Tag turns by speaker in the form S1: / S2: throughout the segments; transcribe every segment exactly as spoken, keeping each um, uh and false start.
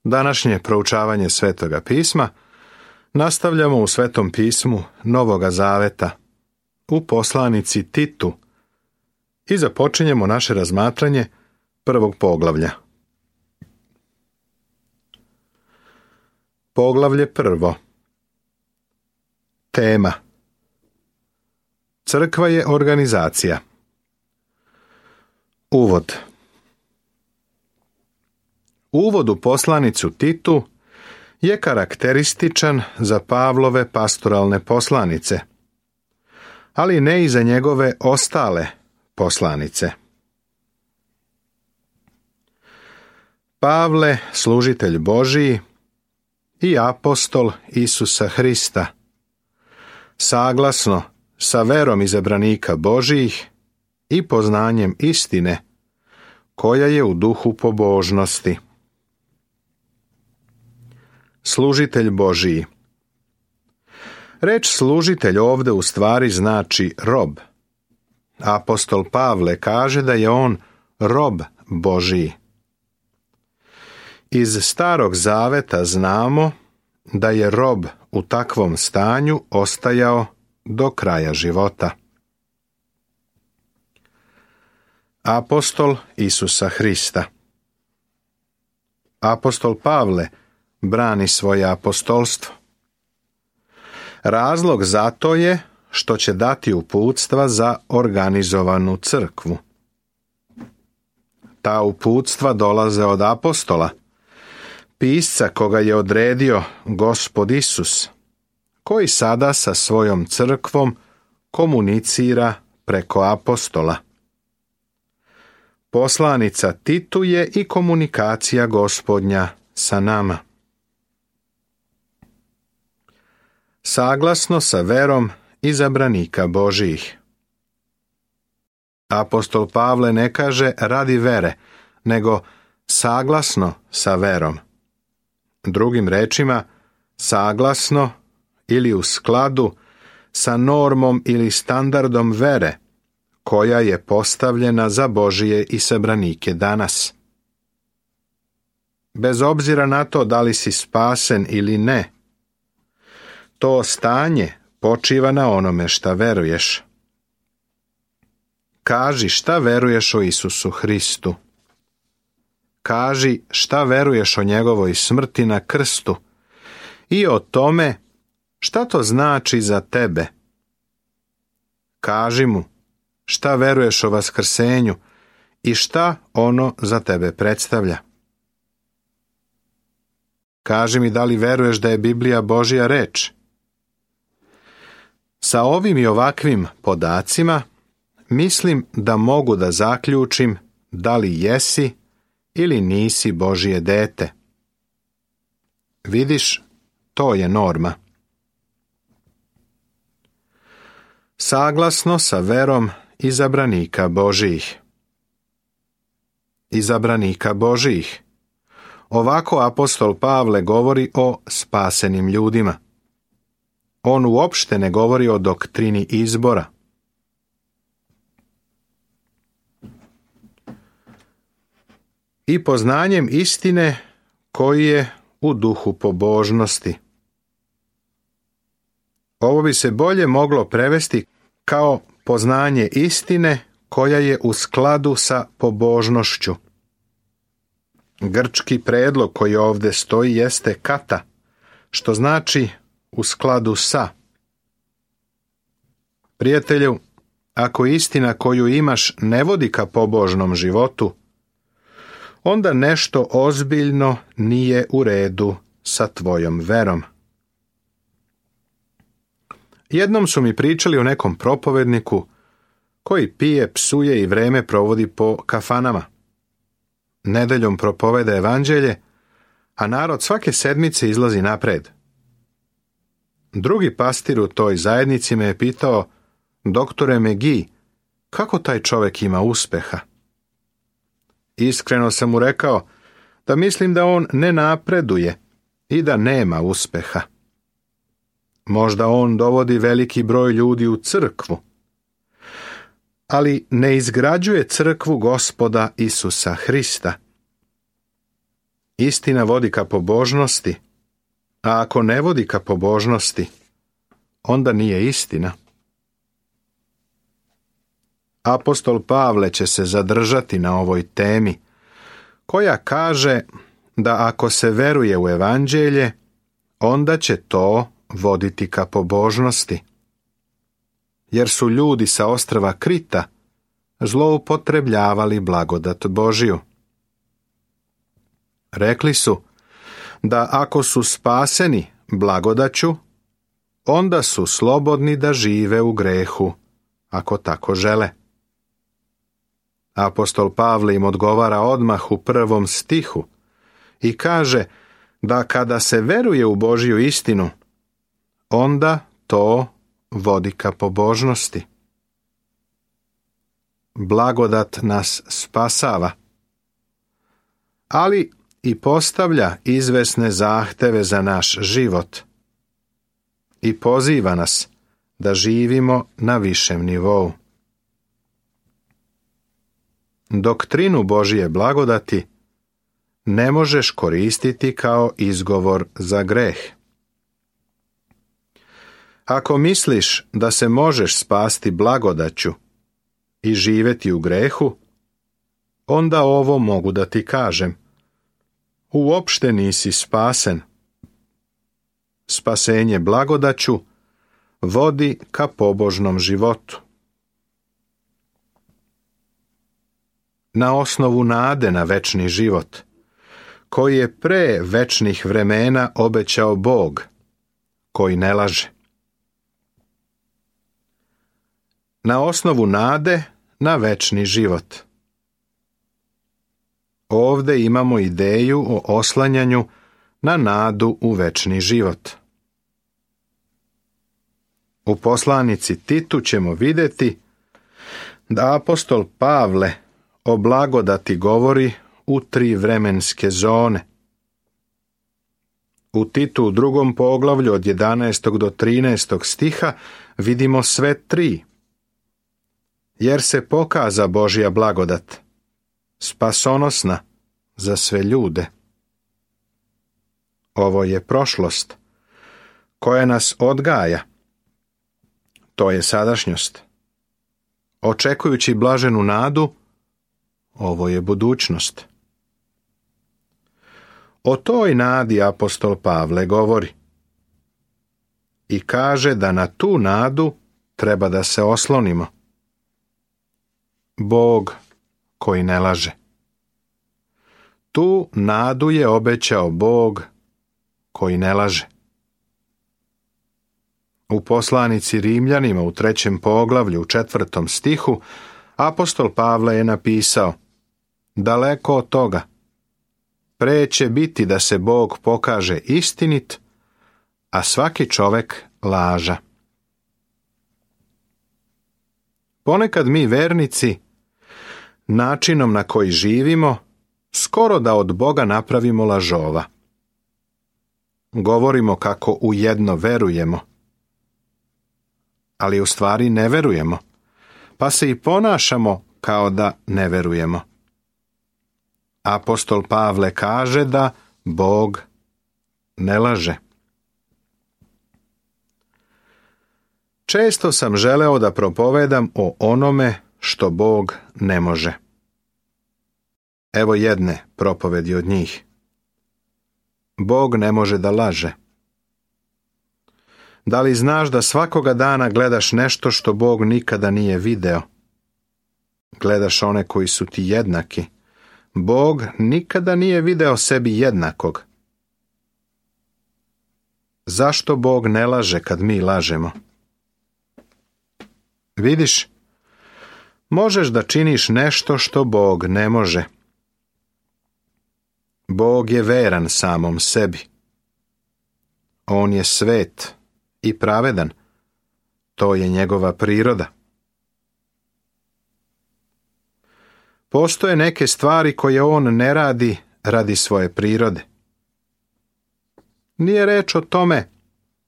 S1: Današnje proučavanje Svetoga pisma nastavljamo u Svetom pismu Novoga Zaveta, u poslanici Titu, i započinjemo naše razmatranje prvog poglavlja. Poglavlje prvo. Tema. Crkva je organizacija. Uvod. Uvod u poslanicu Titu je karakterističan za Pavlove pastoralne poslanice, ali ne i za njegove ostale poslanice. Pavle, služitelj Božiji i apostol Isusa Hrista, saglasno sa verom izabranika Božijih i poznanjem istine koja je u duhu pobožnosti. Služitelj Božiji. Reč služitelj ovde u stvari znači rob. Apostol Pavle kaže da je on rob Božiji. Iz Starog Zaveta znamo da je rob u takvom stanju ostajao do kraja života. Apostol Isusa Hrista. Apostol Pavle brani svoje apostolstvo. Razlog za to je što će dati uputstva za organizovanu crkvu. Ta uputstva dolaze od apostola, pisca koga je odredio Gospod Isus, koji sada sa svojom crkvom komunicira preko apostola. Poslanica Titu je i komunikacija Gospodnja sa nama. Saglasno sa verom izabranika Božijih. Apostol Pavle ne kaže radi vere, nego saglasno sa verom. Drugim rečima, saglasno ili u skladu sa normom ili standardom vere koja je postavljena za Božije isabranike danas. Bez obzira na to da li si spasen ili ne, to stanje počiva na onome šta veruješ. Kaži šta veruješ o Isusu Hristu. Kaži šta veruješ o njegovoj smrti na krstu i o tome šta to znači za tebe. Kaži mu šta veruješ o vaskrsenju i šta ono za tebe predstavlja. Kaži mi da li veruješ da je Biblija Božja reč. Sa ovim i ovakvim podacima mislim da mogu da zaključim da li jesi ili nisi Božje dete. Vidiš, to je norma. Saglasno sa verom izabranika Božijih. Izabranika Božijih. Ovako apostol Pavle govori o spasenim ljudima. On uopšte ne govori o doktrini izbora. I poznanjem istine koji je u duhu pobožnosti. Ovo bi se bolje moglo prevesti kao poznanje istine koja je u skladu sa pobožnošću. Grčki predlog koji ovde stoji jeste kata, što znači u skladu sa. Prijatelju, ako istina koju imaš ne vodi ka pobožnom životu, onda nešto ozbiljno nije u redu sa tvojom verom. Jednom su mi pričali o nekom propovedniku koji pije, psuje i vreme provodi po kafanama. Nedeljom propoveda evanđelje, a narod svake sedmice izlazi napred. Drugi pastir u toj zajednici me je pitao: doktore Megi, kako taj čovjek ima uspeha? Iskreno sam mu rekao da mislim da on ne napreduje i da nema uspeha. Možda on dovodi veliki broj ljudi u crkvu, ali ne izgrađuje crkvu Gospoda Isusa Hrista. Istina vodi ka pobožnosti, a ako ne vodi ka pobožnosti, onda nije istina. Apostol Pavle će se zadržati na ovoj temi, koja kaže da ako se veruje u evanđelje, onda će to voditi ka pobožnosti. Jer su ljudi sa ostrva Krita zloupotrebljavali blagodat Božju. Rekli su da ako su spaseni blagodaću, onda su slobodni da žive u grehu, ako tako žele. Apostol Pavle im odgovara odmah u prvom stihu i kaže da kada se veruje u Božju istinu, onda to vodi ka pobožnosti. Blagodat nas spasava, ali i postavlja izvesne zahteve za naš život i poziva nas da živimo na višem nivou. Doktrinu Božje blagodati ne možeš koristiti kao izgovor za greh. Ako misliš da se možeš spasti blagodaću i živjeti u grehu, onda ovo mogu da ti kažem. Uopšte nisi spasen. Spasenje blagodaću vodi ka pobožnom životu. Na osnovu nade na večni život, koji je pre večnih vremena obećao Bog, koji ne laže. Na osnovu nade na večni život. Ovde imamo ideju o oslanjanju na nadu u večni život. U poslanici Titu ćemo vidjeti da apostol Pavle o blagodati govori u tri vremenske zone. U Titu u drugom poglavlju od jedanaestog do trinaestog stiha vidimo sve tri. Jer se pokaza Božja blagodat, spasonosna za sve ljude. Ovo je prošlost, koja nas odgaja. To je sadašnjost. Očekujući blaženu nadu, ovo je budućnost. O toj nadi apostol Pavle govori i kaže da na tu nadu treba da se oslonimo. Bog koji ne laže. Tu nadu je obećao Bog koji ne laže. U poslanici Rimljanima u trećem poglavlju u četvrtom stihu apostol Pavle je napisao: daleko od toga, pre će biti da se Bog pokaže istinit, a svaki čovek laža. Ponekad mi vernici, načinom na koji živimo, skoro da od Boga napravimo lažova. Govorimo kako u jedno verujemo, ali u stvari ne verujemo, pa se i ponašamo kao da ne verujemo. Apostol Pavle kaže da Bog ne laže. Često sam želeo da propovedam o onome što Bog ne može. Evo jedne propovedi od njih. Bog ne može da laže. Da li znaš da svakoga dana gledaš nešto što Bog nikada nije video? Gledaš one koji su ti jednaki. Bog nikada nije video sebi jednakog. Zašto Bog ne laže kad mi lažemo? Vidiš, možeš da činiš nešto što Bog ne može. Bog je veran samom sebi. On je svet i pravedan. To je njegova priroda. Postoje neke stvari koje on ne radi radi svoje prirode. Nije reč o tome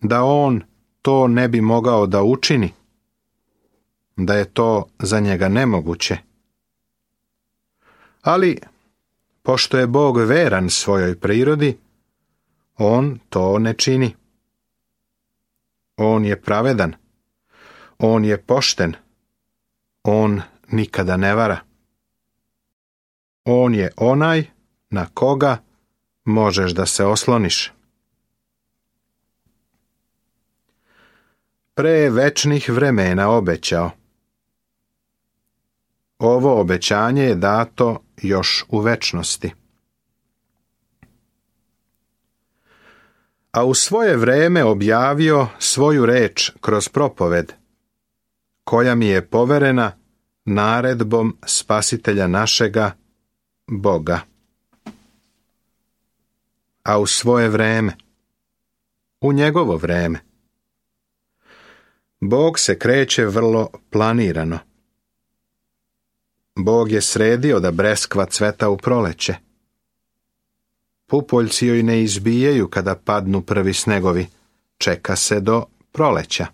S1: da on to ne bi mogao da učini, da je to za njega nemoguće. Ali pošto je Bog veran svojoj prirodi, on to ne čini. On je pravedan, on je pošten, on nikada ne vara. On je onaj na koga možeš da se osloniš. Pre večnih vremena obećao. Ovo obećanje je dato još u večnosti. A u svoje vreme objavio svoju reč kroz propoved, koja mi je poverena naredbom Spasitelja našega, Boga. A u svoje vreme, u njegovo vreme, Bog se kreće vrlo planirano. Bog je sredio da breskva cveta u proleće. Pupoljci joj ne izbijaju kada padnu prvi snegovi, čeka se do proleća.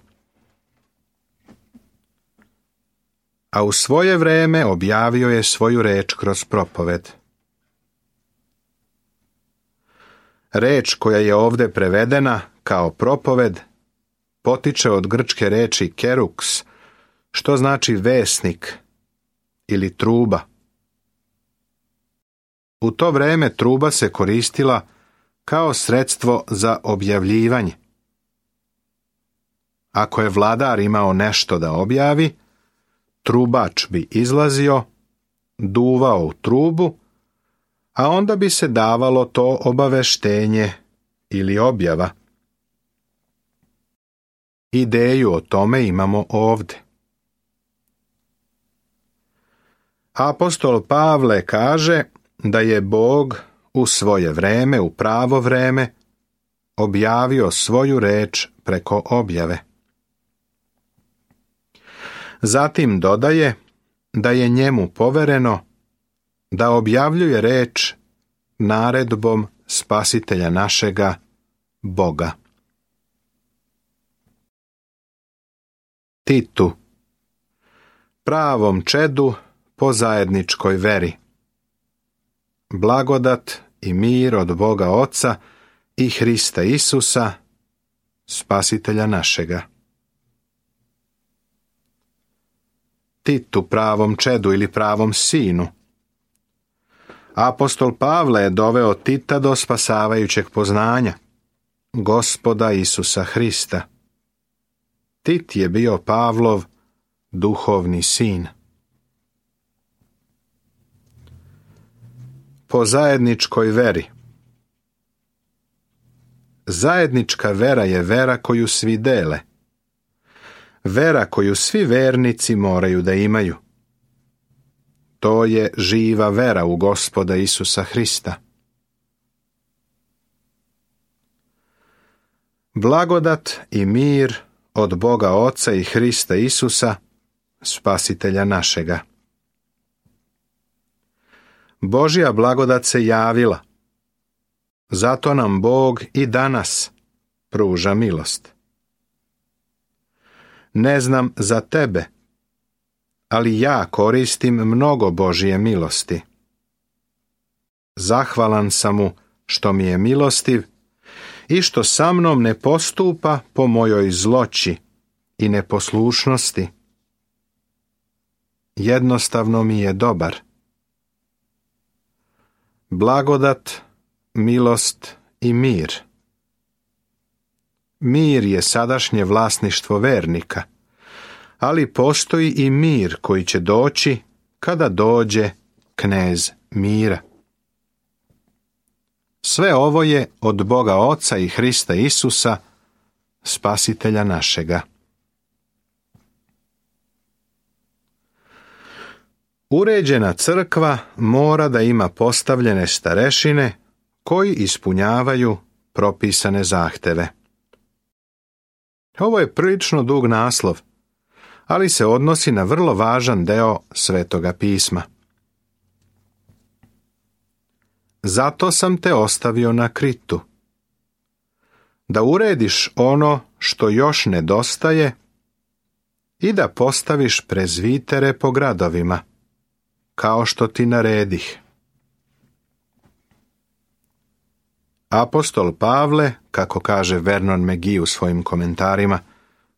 S1: A u svoje vreme objavio je svoju reč kroz propoved. Reč koja je ovdje prevedena kao propoved potiče od grčke reči keruks, što znači vesnik ili truba. U to vreme truba se koristila kao sredstvo za objavljivanje. Ako je vladar imao nešto da objavi, trubač bi izlazio, duvao u trubu, a onda bi se davalo to obaveštenje ili objava. Ideju o tome imamo ovdje. Apostol Pavle kaže da je Bog u svoje vreme, u pravo vreme, objavio svoju reč preko objave. Zatim dodaje da je njemu povereno da objavljuje reč naredbom Spasitelja našega, Boga. Titu, pravom čedu po zajedničkoj veri. Blagodat i mir od Boga Oca i Hrista Isusa, Spasitelja našega. Titu, pravom čedu ili pravom sinu. Apostol Pavle je doveo Tita do spasavajućeg poznanja, Gospoda Isusa Hrista. Tit je bio Pavlov duhovni sin. Po zajedničkoj veri. Zajednička vera je vera koju svi dele. Vera koju svi vernici moraju da imaju. To je živa vera u Gospoda Isusa Hrista. Blagodat i mir od Boga Oca i Hrista Isusa, Spasitelja našega. Božja blagodat se javila. Zato nam Bog i danas pruža milost. Ne znam za tebe, ali ja koristim mnogo Božje milosti. Zahvalan sam mu što mi je milostiv i što sa mnom ne postupa po mojoj zloći i neposlušnosti. Jednostavno mi je dobar. Blagodat, milost i mir. Mir je sadašnje vlasništvo vernika, ali postoji i mir koji će doći kada dođe knez mira. Sve ovo je od Boga Oca i Hrista Isusa, Spasitelja našega. Uređena crkva mora da ima postavljene starešine koji ispunjavaju propisane zahteve. Ovo je prilično dug naslov, ali se odnosi na vrlo važan deo Svetoga pisma. Zato sam te ostavio na Kritu, da urediš ono što još nedostaje i da postaviš prezvitere po gradovima, kao što ti naredih. Apostol Pavle, kako kaže Vernon McGee u svojim komentarima,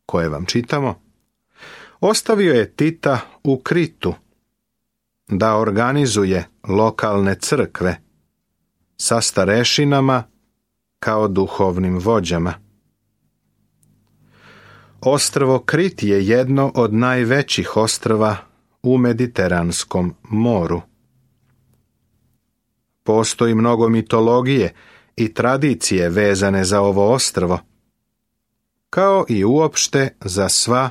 S1: koje vam čitamo, ostavio je Tita u Kritu da organizuje lokalne crkve sa starešinama kao duhovnim vođama. Ostrvo Krit je jedno od najvećih ostrva u Mediteranskom moru. Postoji mnogo mitologije i tradicije vezane za ovo ostrvo, kao i uopšte za sva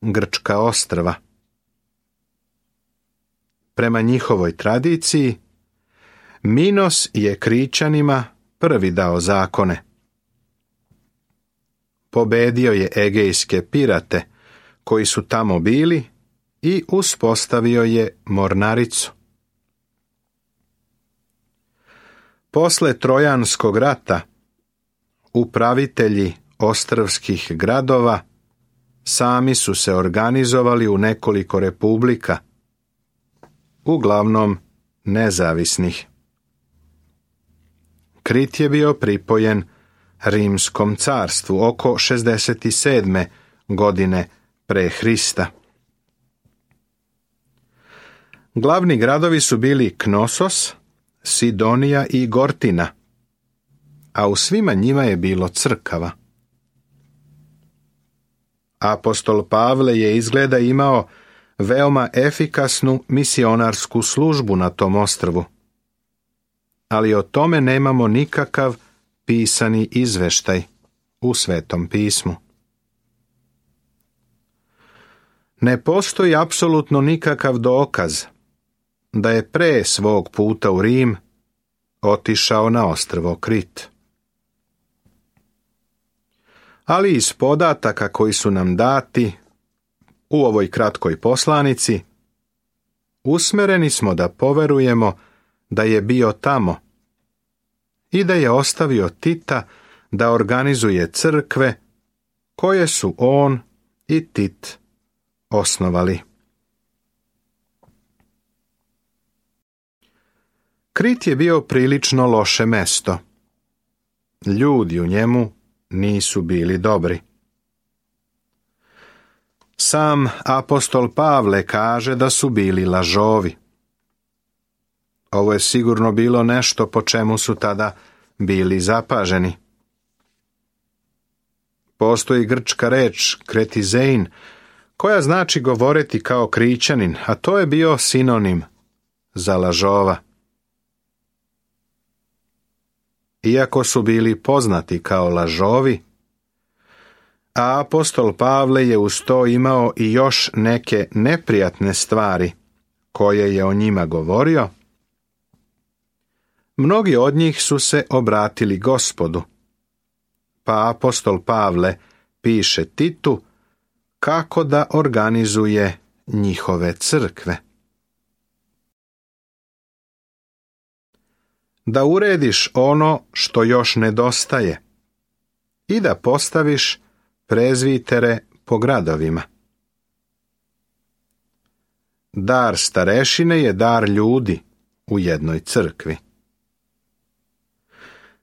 S1: grčka ostrva. Prema njihovoj tradiciji, Minos je Krićanima prvi dao zakone. Pobedio je egejske pirate koji su tamo bili i uspostavio je mornaricu. Posle Trojanskog rata, upravitelji ostrvskih gradova sami su se organizovali u nekoliko republika, uglavnom nezavisnih. Krit je bio pripojen Rimskom carstvu oko šezdeset sedme godine pre Hrista. Glavni gradovi su bili Knosos, Sidonija i Gortina, a u svima njima je bilo crkava. Apostol Pavle je izgleda imao veoma efikasnu misionarsku službu na tom ostrvu, ali o tome nemamo nikakav pisani izveštaj u Svetom pismu. Ne postoji apsolutno nikakav dokaz da je pre svog puta u Rim otišao na ostrvo Krit. Ali iz podataka koji su nam dati u ovoj kratkoj poslanici, usmereni smo da poverujemo da je bio tamo i da je ostavio Tita da organizuje crkve koje su on i Tit osnovali. Krit je bio prilično loše mesto. Ljudi u njemu nisu bili dobri. Sam apostol Pavle kaže da su bili lažovi. Ovo je sigurno bilo nešto po čemu su tada bili zapaženi. Postoji grčka reč kretizein, koja znači govoriti kao Krićanin, a to je bio sinonim za lažova. Iako su bili poznati kao lažovi, a apostol Pavle je uz to imao i još neke neprijatne stvari koje je o njima govorio, mnogi od njih su se obratili Gospodu, pa apostol Pavle piše Titu kako da organizuje njihove crkve. Da urediš ono što još nedostaje i da postaviš prezvitere po gradovima. Dar starešine je dar ljudi u jednoj crkvi.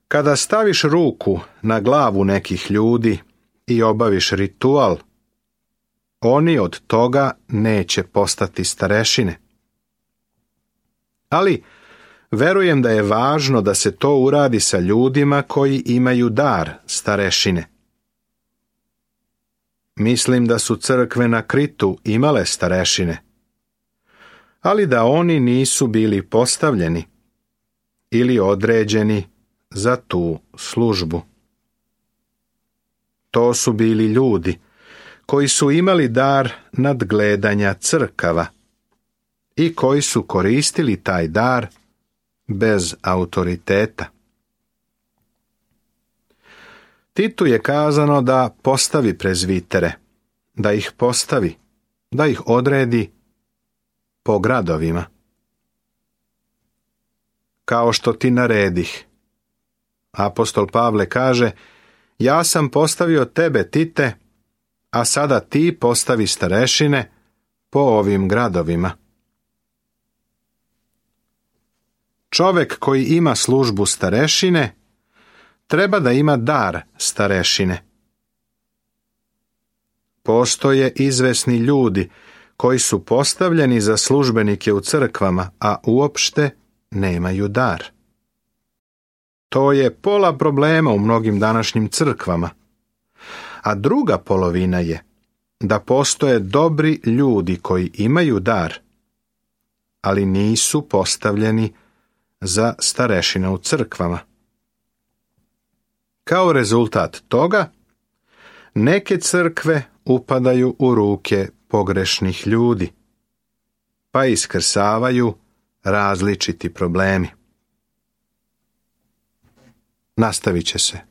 S1: Kada staviš ruku na glavu nekih ljudi i obaviš ritual, oni od toga neće postati starešine. Ali verujem da je važno da se to uradi sa ljudima koji imaju dar starešine. Mislim da su crkve na Kritu imale starešine, ali da oni nisu bili postavljeni ili određeni za tu službu. To su bili ljudi koji su imali dar nadgledanja crkava i koji su koristili taj dar bez autoriteta. Titu je kazano da postavi prezvitere, da ih postavi, da ih odredi po gradovima. Kao što ti naredih. Apostol Pavle kaže, ja sam postavio tebe, Tite, a sada ti postavi starešine po ovim gradovima. Čovek koji ima službu starešine treba da ima dar starešine. Postoje izvesni ljudi koji su postavljeni za službenike u crkvama, a uopšte nemaju dar. To je pola problema u mnogim današnjim crkvama. A druga polovina je da postoje dobri ljudi koji imaju dar, ali nisu postavljeni za starešine u crkvama. Kao rezultat toga, neke crkve upadaju u ruke pogrešnih ljudi, pa iskrsavaju različiti problemi. Nastavit će se.